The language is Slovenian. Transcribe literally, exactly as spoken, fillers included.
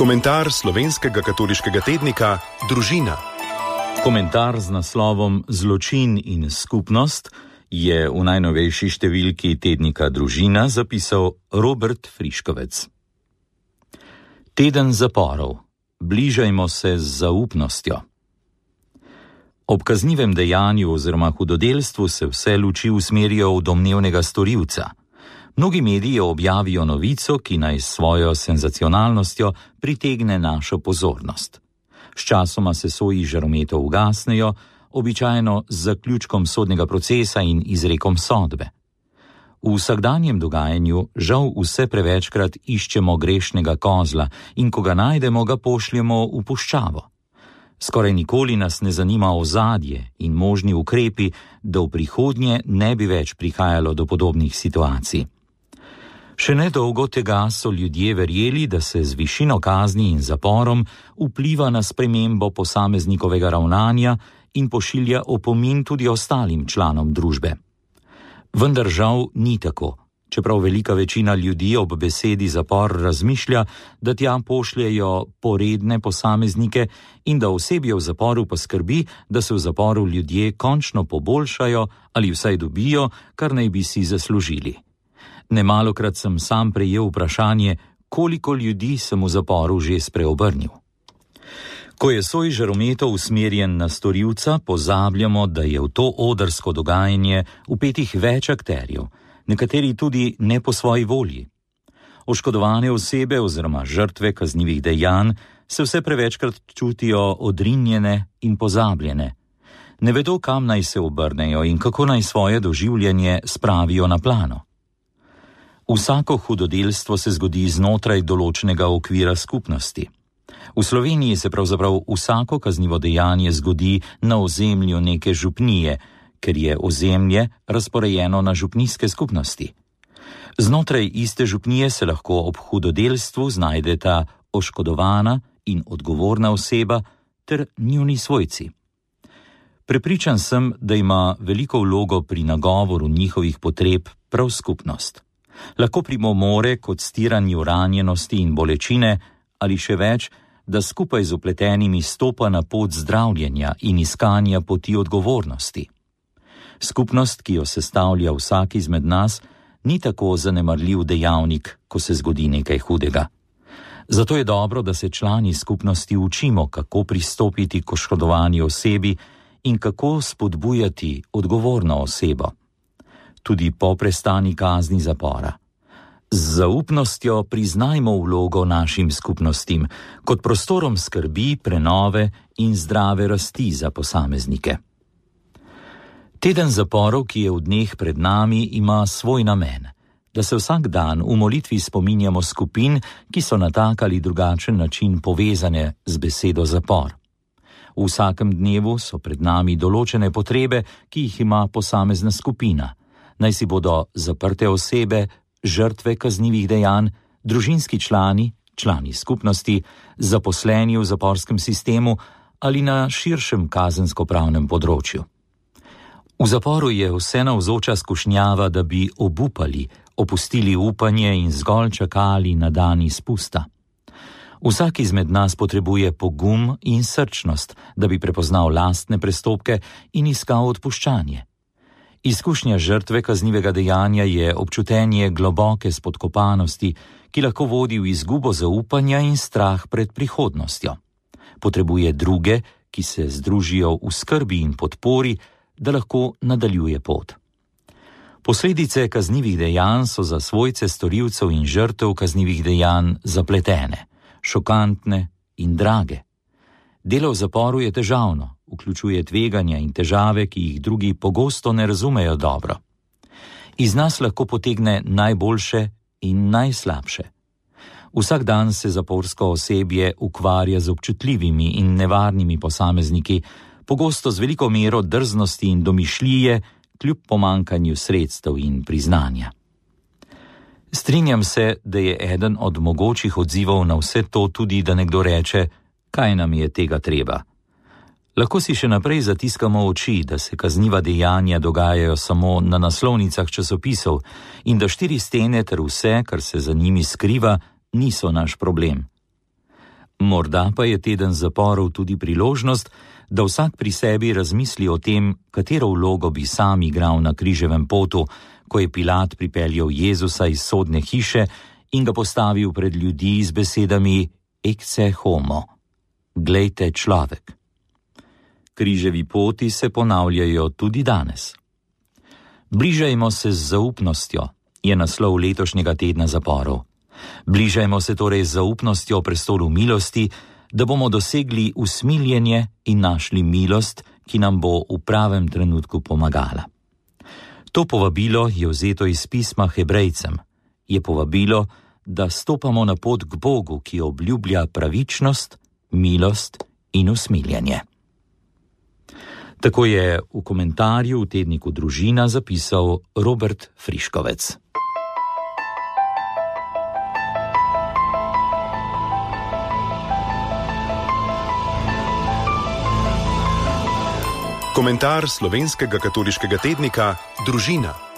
Komentar slovenskega katoliškega tednika Družina. Komentar z naslovom Zločin in skupnost je v najnovejši številki tednika Družina zapisal Robert Friškovec. Teden zaporov. Bližajmo se z zaupnostjo. Ob kaznivem dejanju oziroma hudodelstvu se vse luči usmerijo v domnevnega storilca. Mnogi mediji objavijo novico, ki naj s svojo senzacionalnostjo pritegne našo pozornost. Sčasoma se soji žarometov ugasnejo, običajno z zaključkom sodnega procesa in izrekom sodbe. V vsakdanjem dogajanju žal vse prevečkrat iščemo grešnega kozla in ko ga najdemo, ga pošljemo v puščavo. Skoraj nikoli nas ne zanima ozadje in možni ukrepi, da v prihodnje ne bi več prihajalo do podobnih situacij. Še nedolgo tega so ljudje verjeli, da se z višino kazni in zaporom vpliva na spremembo posameznikovega ravnanja in pošilja opomin tudi ostalim članom družbe. Vendar žal ni tako, čeprav velika večina ljudi ob besedi zapor razmišlja, da tja pošljejo poredne posameznike in da osebje v zaporu poskrbi, da se v zaporu ljudje končno poboljšajo ali vsaj dobijo, kar naj bi si zaslužili. Nemalokrat sem sam prejel vprašanje, koliko ljudi sem v zaporu že spreobrnil. Ko je soj žarometov usmerjen na storilca, pozabljamo, da je v to odrsko dogajanje vpetih več akterjev, nekateri tudi ne po svoji volji. Oškodovane osebe oziroma žrtve kaznivih dejanj se vse prevečkrat čutijo odrinjene in pozabljene. Ne vedo, kam naj se obrnejo in kako naj svoje doživljanje spravijo na plano. Vsako hudodelstvo se zgodi znotraj določenega okvira skupnosti. V Sloveniji se pravzaprav vsako kaznivo dejanje zgodi na ozemlju neke župnije, ker je ozemlje razporejeno na župnijske skupnosti. Znotraj iste župnije se lahko ob hudodelstvu znajdeta oškodovana in odgovorna oseba ter njuni svojci. Prepričan sem, da ima veliko vlogo pri nagovoru njihovih potreb prav skupnost. Lahko primomore kot stiranju ranjenosti in bolečine ali še več, da skupaj z upletenimi stopa na pot zdravljenja in iskanja poti odgovornosti. Skupnost, ki jo sestavlja vsak izmed nas, ni tako zanemarljiv dejavnik, ko se zgodi nekaj hudega. Zato je dobro, da se člani skupnosti učimo, kako pristopiti k oškodovani osebi in kako spodbujati odgovorno osebo. Tudi po prestani kazni zapora. Z zaupnostjo priznajmo vlogo našim skupnostim, kot prostorom skrbi, prenove in zdrave rasti za posameznike. Teden zaporov, ki je v dneh pred nami, ima svoj namen, da se vsak dan v molitvi spominjamo skupin, ki so na tak ali drugačen način povezane z besedo zapor. V vsakem dnevu so pred nami določene potrebe, ki jih ima posamezna skupina. Naj si bodo zaprte osebe, žrtve kaznivih dejanj, družinski člani, člani skupnosti, zaposleni v zaporskem sistemu ali na širšem kazensko-pravnem področju. V zaporu je vse navzoča skušnjava, da bi obupali, opustili upanje in zgolj čakali na dan izpusta. Vsak izmed nas potrebuje pogum in srčnost, da bi prepoznal lastne prestopke in iskal odpuščanje. Izkušnja žrtve kaznivega dejanja je občutenje globoke spodkopanosti, ki lahko vodi v izgubo zaupanja in strah pred prihodnostjo. Potrebuje druge, ki se združijo v skrbi in podpori, da lahko nadaljuje pot. Posledice kaznivih dejanj so za svojce storilcev in žrtev kaznivih dejanj zapletene, šokantne in drage. Delo v zaporu je težavno, vključuje tveganja in težave, ki jih drugi pogosto ne razumejo dobro. Iz nas lahko potegne najboljše in najslabše. Vsak dan se zaporsko osebje ukvarja z občutljivimi in nevarnimi posamezniki, pogosto z veliko mero drznosti in domišljije, kljub pomankanju sredstev in priznanja. Strinjam se, da je eden od mogočih odzivov na vse to tudi, da nekdo reče, kaj nam je tega treba. Lahko si še naprej zatiskamo oči, da se kazniva dejanja dogajajo samo na naslovnicah časopisov in da štiri stene ter vse, kar se za njimi skriva, niso naš problem. Morda pa je teden zaporov tudi priložnost, da vsak pri sebi razmisli o tem, katero vlogo bi sam igral na križevem potu, ko je Pilat pripeljal Jezusa iz sodne hiše in ga postavil pred ljudi z besedami Ecce homo, glejte človek. Križevi poti se ponavljajo tudi danes. Bližajmo se z zaupnostjo, je naslov letošnjega tedna zaporov. Bližajmo se torej z zaupnostjo prestolu milosti, da bomo dosegli usmiljenje in našli milost, ki nam bo v pravem trenutku pomagala. To povabilo je vzeto iz pisma Hebrejcem. Je povabilo, da stopamo na pot k Bogu, ki obljublja pravičnost, milost in usmiljenje. Tako je v komentarju v tedniku Družina zapisal Robert Friškovec. Komentar slovenskega katoliškega tednika Družina.